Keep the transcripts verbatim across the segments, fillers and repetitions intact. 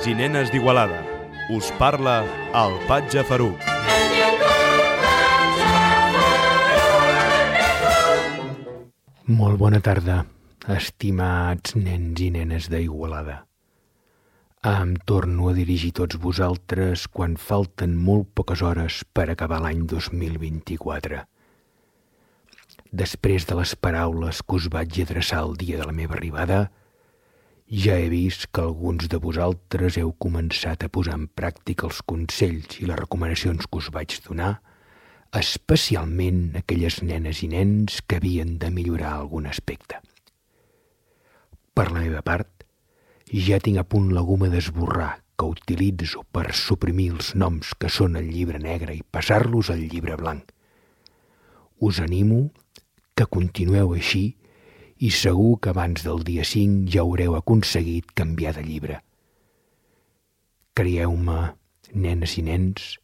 Nens i nenes d'Igualada. Us parla el Patge Faruc. Molt bona tarda, estimats nens i nenes d'Igualada. Em torno a dirigir tots vosaltres quan falten molt poques hores per acabar l'any dos mil vint-i-quatre. Després de les paraules que us vaig adreçar el dia de la meva arribada, ja he vist que alguns de vosaltres heu començat a posar en pràctica els consells i les recomanacions que us vaig donar, especialment aquelles nenes i nens que havien de millorar algun aspecte. Per la meva part, ja tinc a punt la goma d'esborrar que utilitzo per suprimir els noms que són al llibre negre i passar-los al llibre blanc. Us animo que continueu així i segur que abans del dia cinc ja haureu aconseguit canviar de llibre. Creieu-me, nenes i nens,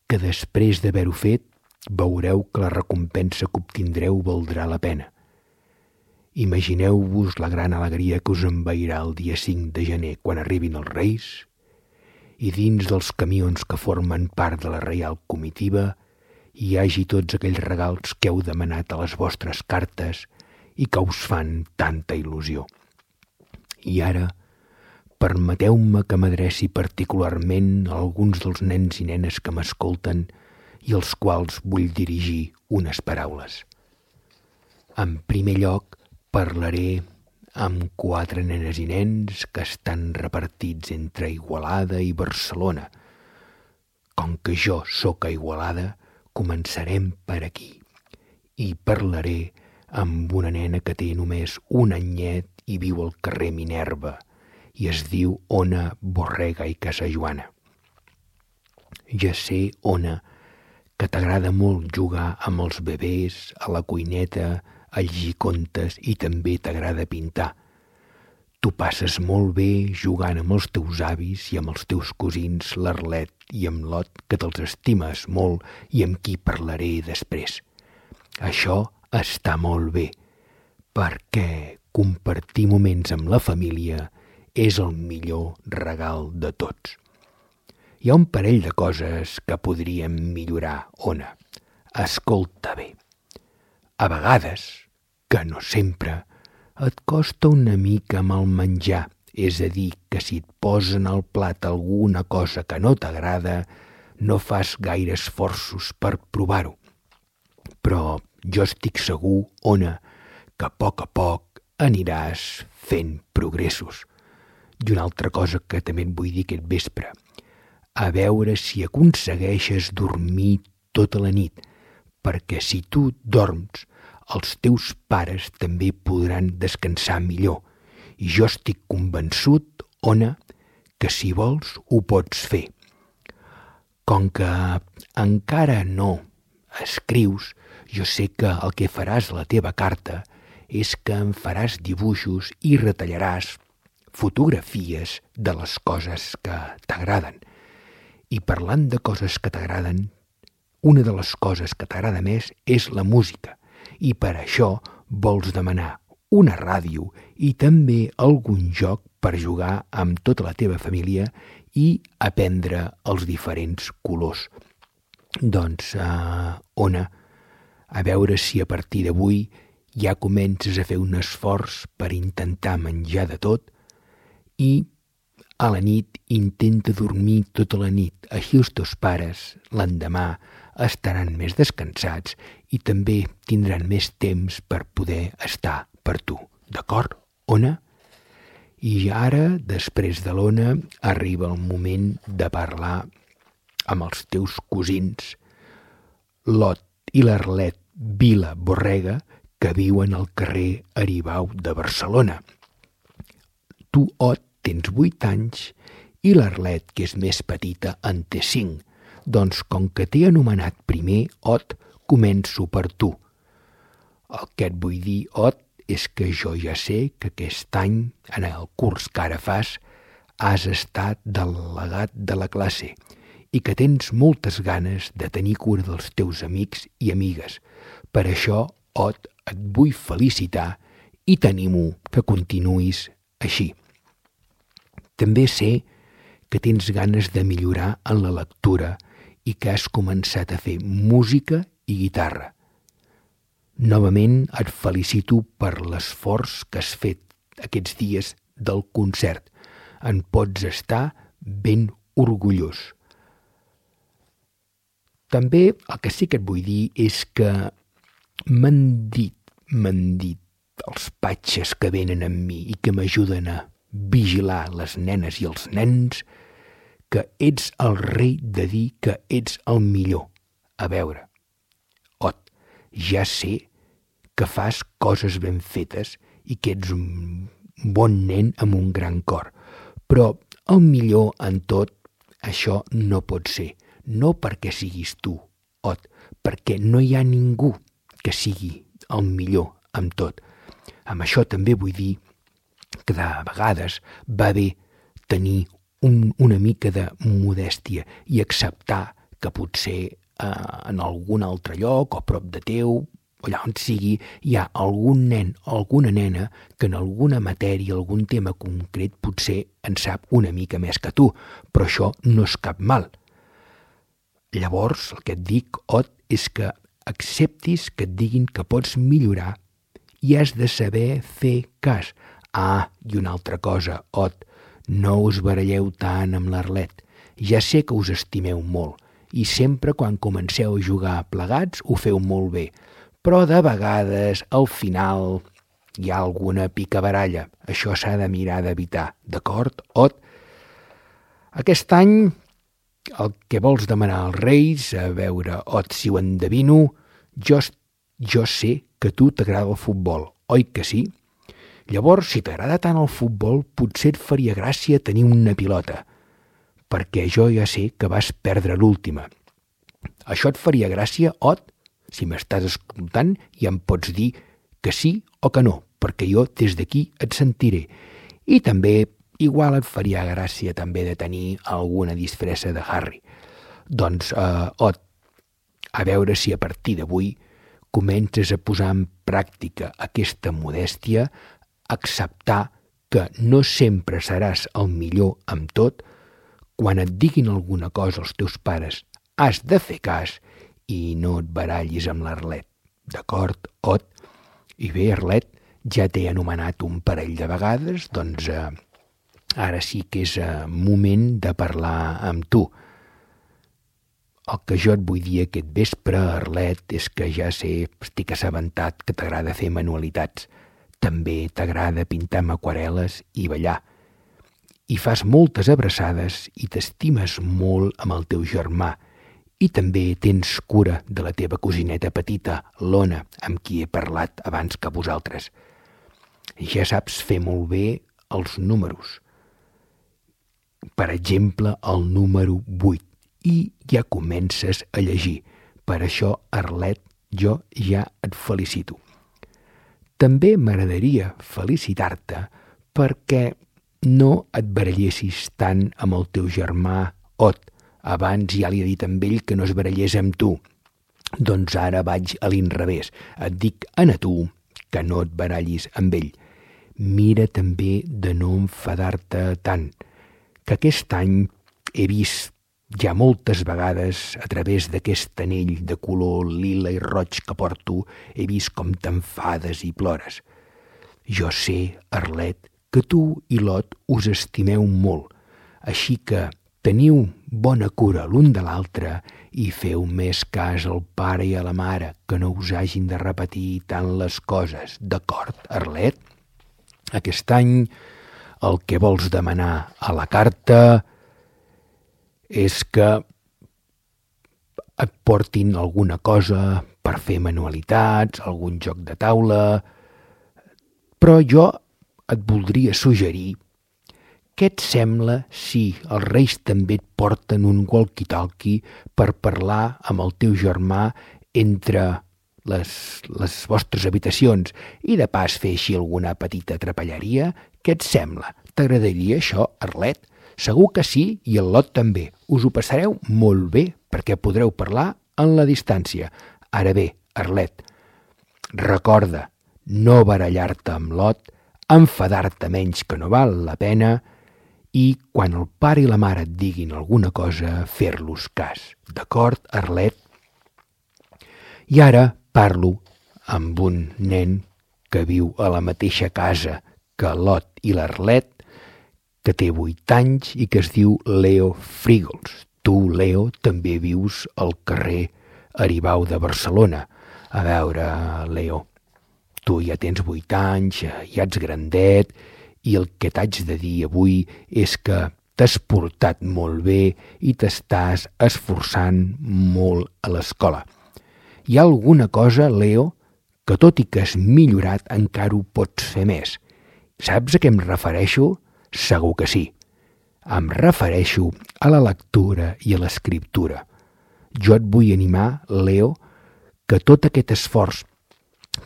que després d'haver-ho fet veureu que la recompensa que obtindreu valdrà la pena. Imagineu-vos la gran alegria que us envairà el dia cinc de gener quan arribin els Reis i dins dels camions que formen part de la Reial Comitiva hi hagi tots aquells regals que heu demanat a les vostres cartes i que us fan tanta il·lusió. I ara, permeteu-me que m'adreci particularment a alguns dels nens i nenes que m'escolten i als quals vull dirigir unes paraules. En primer lloc, parlaré amb quatre nenes i nens que estan repartits entre Igualada i Barcelona. Com que jo sóc a Igualada, començarem per aquí i parlaré amb una nena que té només un anyet i viu al carrer Minerva i es diu Ona Borrega i Casajoana. Ja sé, Ona, que t'agrada molt jugar amb els bebès, a la cuineta, a llegir contes i també t'agrada pintar. Tu passes molt bé jugant amb els teus avis i amb els teus cosins l'Arlet i amb l'Ot, que te'ls estimes molt i amb qui parlaré després. Això està molt bé, perquè compartir moments amb la família és el millor regal de tots. Hi ha un parell de coses que podríem millorar, Ona. Escolta bé. A vegades, que no sempre, et costa una mica amb el menjar, és a dir, que si et posen al plat alguna cosa que no t'agrada, no fas gaire esforços per provar-ho. Però jo estic segur, Ona, que a poc a poc aniràs fent progressos. I una altra cosa que també et vull dir aquest vespre, a veure si aconsegueixes dormir tota la nit, perquè si tu dorms, els teus pares també podran descansar millor. I jo estic convençut, Ona, que si vols ho pots fer. Com que encara no escrius, jo sé que el que faràs a la teva carta és que em faràs dibuixos i retallaràs fotografies de les coses que t'agraden. I parlant de coses que t'agraden, una de les coses que t'agrada més és la música. I per això vols demanar una ràdio i també algun joc per jugar amb tota la teva família i aprendre els diferents colors. Doncs, uh, Ona, a veure si a partir d'avui ja comences a fer un esforç per intentar menjar de tot i a la nit intenta dormir tota la nit. Així els teus pares l'endemà estaran més descansats i també tindran més temps per poder estar per tu. D'acord, Ona? I ara, després de l'Ona, arriba el moment de parlar amb els teus cosins, l'Ot i l'Arlet Vila Borrega, que viuen al carrer Aribau de Barcelona. Tu, Ot, tens vuit anys i l'Arlet, que és més petita, en té cinc. Doncs com que t'he anomenat primer, Ot, començo per tu. El que et vull dir, Ot, és que jo ja sé que aquest any, en el curs que ara fas, has estat delegat de la classe i que tens moltes ganes de tenir cura dels teus amics i amigues. Per això, Ot, et vull felicitar i t'animo que continuïs així. També sé que tens ganes de millorar en la lectura i que has començat a fer música i guitarra. Novament et felicito per l'esforç que has fet aquests dies del concert. En pots estar ben orgullós. També el que sí que et vull dir és que m'han dit, m'han dit els patxes que venen amb mi i que m'ajuden a vigilar les nenes i els nens, que ets el rei de dir que ets el millor. A veure, Ot, ja sé que fas coses ben fetes i que ets un bon nen amb un gran cor, però el millor en tot, això no pot ser. No perquè siguis tu, Ot, perquè no hi ha ningú que sigui el millor en tot. Amb això també vull dir que de vegades va bé tenir un, una mica de modèstia i acceptar que potser eh, en algun altre lloc o prop de teu, allà on sigui, hi ha algun nen o alguna nena que en alguna matèria, algun tema concret, potser en sap una mica més que tu, però això no és cap mal. Llavors, el que et dic, Ot, és que acceptis que et diguin que pots millorar i has de saber fer cas. Ah, i una altra cosa, Ot, no us baralleu tant amb l'Arlet. Ja sé que us estimeu molt i sempre quan comenceu a jugar plegats ho feu molt bé, però de vegades, al final, hi ha alguna picabaralla. Això s'ha de mirar d'evitar, d'acord, Ot? Aquest any, el que vols demanar als Reis, a veure, Ot, si ho endevino, jo, jo sé que a tu t'agrada el futbol, oi que sí? Llavors, si t'agrada tant el futbol, potser et faria gràcia tenir una pilota, perquè jo ja sé que vas perdre l'última. Això et faria gràcia, Ot? Si m'estàs escoltant, ja em pots dir que sí o que no, perquè jo des d'aquí et sentiré. I també, igual et faria gràcia també de tenir alguna disfressa de Harry. Doncs, eh, Ot, a veure si a partir d'avui comences a posar en pràctica aquesta modèstia, acceptar que no sempre seràs el millor amb tot, quan et diguin alguna cosa els teus pares has de fer cas i no et barallis amb l'Arlet. D'acord, Ot? I bé, Arlet, ja t'he anomenat un parell de vegades, doncs eh, ara sí que és eh, moment de parlar amb tu. El que jo et vull dir aquest vespre, Arlet, és que ja sé, estic assabentat que t'agrada fer manualitats. També t'agrada pintar amb aquarel·les i ballar. I fas moltes abraçades i t'estimes molt amb el teu germà. I també tens cura de la teva cosineta petita, l'Ona, amb qui he parlat abans que vosaltres. Ja saps fer molt bé els números. Per exemple, el número vuit. I ja comences a llegir. Per això, Arlet, jo ja et felicito. També m'agradaria felicitar-te perquè no et barallessis tant amb el teu germà Ot. Abans ja li he dit amb ell que no es barallés amb tu. Doncs ara vaig a l'inrevés. Et dic a tu que no et barallis amb ell. Mira també de no enfadar-te tant, que aquest any he vist ja moltes vegades, a través d'aquest anell de color lila i roig que porto, he vist com t'enfades i plores. Jo sé, Arlet, que tu i l'Ot us estimeu molt, així que teniu bona cura l'un de l'altre i feu més cas al pare i a la mare, que no us hagin de repetir tant les coses. D'acord, Arlet? Aquest any el que vols demanar a la carta és que et portin alguna cosa per fer manualitats, algun joc de taula, però jo et voldria suggerir què et sembla si els Reis també et porten un walkie-talkie per parlar amb el teu germà entre les, les vostres habitacions i de pas fer així alguna petita trapelleria? Què et sembla? T'agradaria això, Arlet? Segur que sí, i el Lot també. Us ho passareu molt bé, perquè podreu parlar en la distància. Ara bé, Arlet, recorda no barallar-te amb Lot, enfadar-te menys que no val la pena i quan el pare i la mare et diguin alguna cosa, fer-los cas. D'acord, Arlet? I ara parlo amb un nen que viu a la mateixa casa que l'Ot i l'Arlet, que té vuit anys i que es diu Leo Frígols. Tu, Leo, també vius al carrer Aribau de Barcelona. A veure, Leo, tu ja tens vuit anys, ja ets grandet, i el que t'haig de dir avui és que t'has portat molt bé i t'estàs esforçant molt a l'escola. Hi ha alguna cosa, Leo, que tot i que has millorat encara ho pots fer més. Saps a què em refereixo? Segur que sí. Em refereixo a la lectura i a l'escriptura. Jo et vull animar, Leo, que tot aquest esforç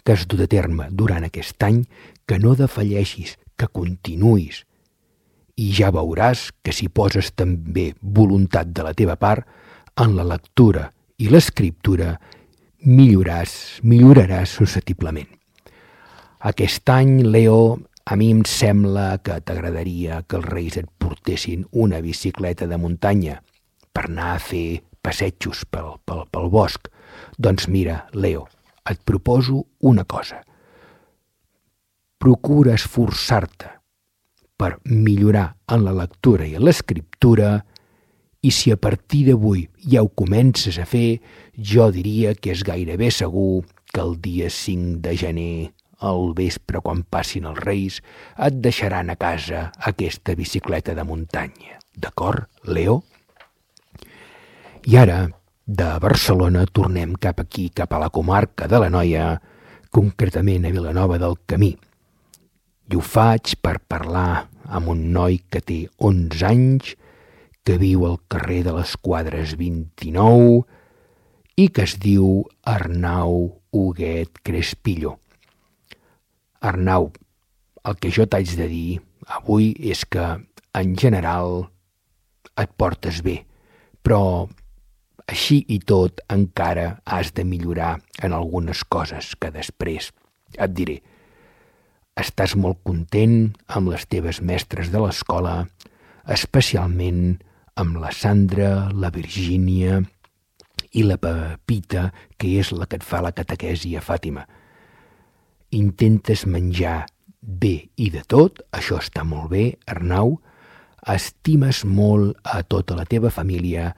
que has dut a terme durant aquest any, que no defalleixis, que continuïs. I ja veuràs que si poses també voluntat de la teva part, en la lectura i l'escriptura milloraràs, milloraràs susceptiblement. Aquest any, Leo, a mi em sembla que t'agradaria que els Reis et portessin una bicicleta de muntanya per anar a fer passejos pel, pel, pel bosc. Doncs mira, Leo, et proposo una cosa. Procura esforçar-te per millorar en la lectura i en l'escriptura i si a partir d'avui ja ho comences a fer, jo diria que és gairebé segur que el dia cinc de gener, al vespre quan passin els Reis, et deixaran a casa aquesta bicicleta de muntanya. D'acord, Leo? I ara, de Barcelona, tornem cap aquí, cap a la comarca de l'Anoia, concretament a Vilanova del Camí. I ho faig per parlar amb un noi que té onze anys, que viu al carrer de les Quadres vint-i-nou i que es diu Arnau Huguet Crespillo. Arnau, el que jo t'haig de dir avui és que, en general, et portes bé, però així i tot encara has de millorar en algunes coses que després et diré. Estàs molt content amb les teves mestres de l'escola, especialment amb la Sandra, la Virgínia i la Pepita, que és la que et fa la catequesi a Fàtima. Intentes menjar bé i de tot, això està molt bé, Arnau. Estimes molt a tota la teva família,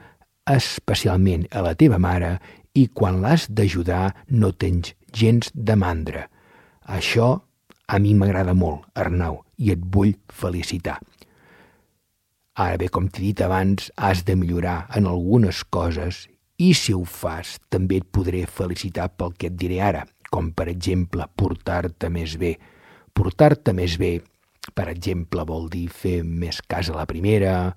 especialment a la teva mare, i quan l'has d'ajudar no tens gens de mandra. Això a mi m'agrada molt, Arnau, i et vull felicitar. Ara bé, com t'he dit abans, has de millorar en algunes coses i si ho fas també et podré felicitar pel que et diré ara, com per exemple portar-te més bé. Portar-te més bé, per exemple, vol dir fer més cas a la primera,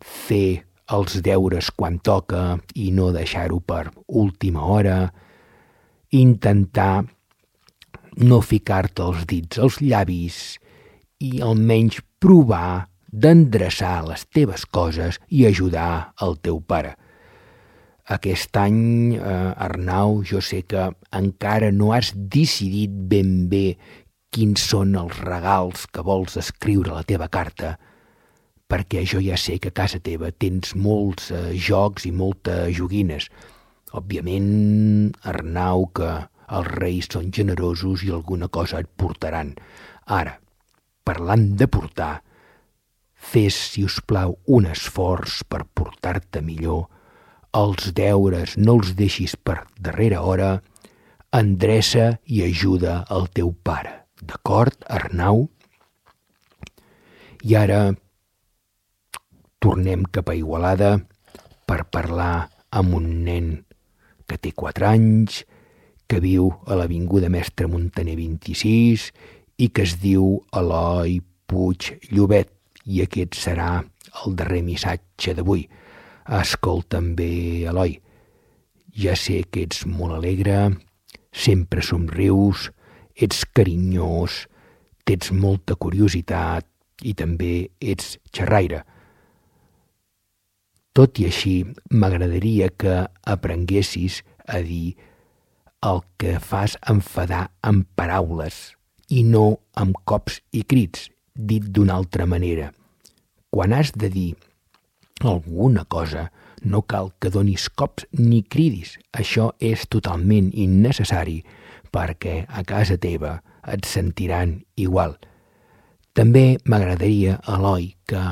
fer els deures quan toca i no deixar-ho per última hora, intentar no ficar-te els dits als llavis i almenys provar d'endreçar les teves coses i ajudar el teu pare. Aquest any, eh, Arnau, jo sé que encara no has decidit ben bé quins són els regals que vols escriure a la teva carta, perquè jo ja sé que a casa teva tens molts eh, jocs i moltes joguines. Òbviament, Arnau, que els Reis són generosos i alguna cosa et portaran. Ara, parlant de portar, fes, si us plau, un esforç per portar-te millor. Els deures no els deixis per darrera hora. Endreça i ajuda el teu pare. D'acord, Arnau? I ara tornem cap a Igualada per parlar amb un nen que té quatre anys, que viu a l'Avinguda Mestre Muntaner vint-i-sis i que es diu Eloi Puig Llobet. I aquest serà el darrer missatge d'avui. Escolta'm bé, Eloi. Ja sé que ets molt alegre, sempre somrius, ets carinyós, tens molta curiositat i també ets xerraire. Tot i així, m'agradaria que aprenguessis a dir el que fas enfadar amb paraules i no amb cops i crits, dit d'una altra manera. quan has de dir alguna cosa, no cal que donis cops ni cridis. Això és totalment innecessari perquè a casa teva et sentiran igual. També m'agradaria, Eloi, que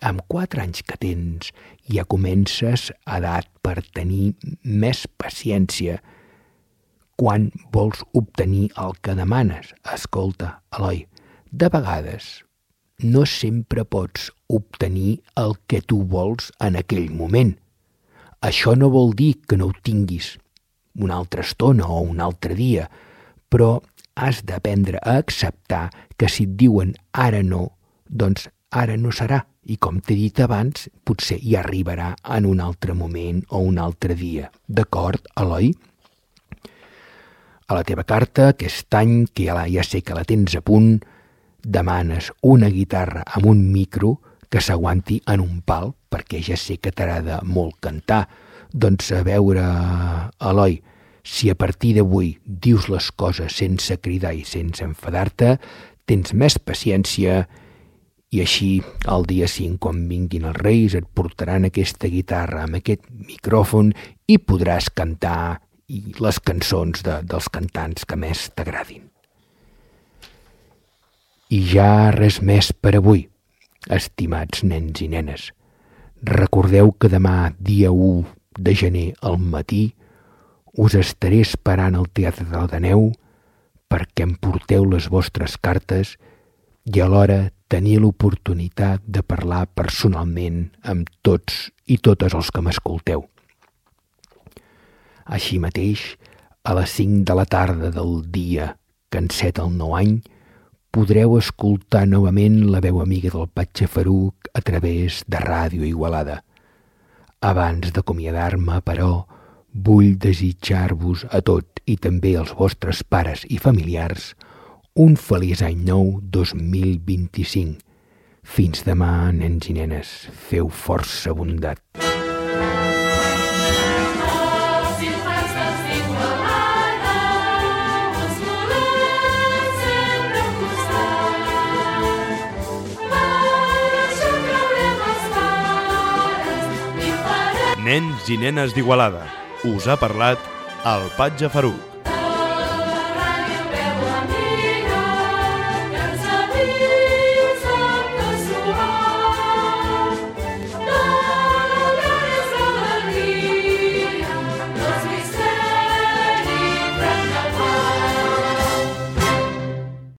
amb quatre anys que tens ja comences edat per tenir més paciència quan vols obtenir el que demanes. Escolta, Eloi, de vegades no sempre pots obtenir el que tu vols en aquell moment. Això no vol dir que no ho tinguis una altra estona o un altre dia, però has d'aprendre a acceptar que si et diuen ara no, doncs ara no serà. I com t'he dit abans, potser hi arribarà en un altre moment o un altre dia. D'acord, Eloi? A la teva carta, aquest any, que ja, ja sé que la tens a punt, demanes una guitarra amb un micro que s'aguanti en un pal, perquè ja sé que t'agrada molt cantar. Doncs a veure, Eloi, si a partir d'avui dius les coses sense cridar i sense enfadar-te, tens més paciència i així el dia cinc, quan vinguin els Reis, et portaran aquesta guitarra amb aquest micròfon i podràs cantar les cançons de, dels cantants que més t'agradin. I ja res més per avui, estimats nens i nenes. Recordeu que demà, dia u de gener al matí, us estaré esperant al Teatre de l'Ateneu perquè em porteu les vostres cartes i alhora tenir l'oportunitat de parlar personalment amb tots i totes els que m'escolteu. Així mateix, a les cinc de la tarda del dia que enceta el nou any, podreu escoltar novament la veu amiga del Patge Faruc a través de Ràdio Igualada. Abans d'acomiadar-me, però, vull desitjar-vos a tot i també als vostres pares i familiars un feliç any nou dos mil vint-i-cinc. Fins demà, nens i nenes, feu força bondat. Nens i nenes d'Igualada. Us ha parlat el Patge Faruc.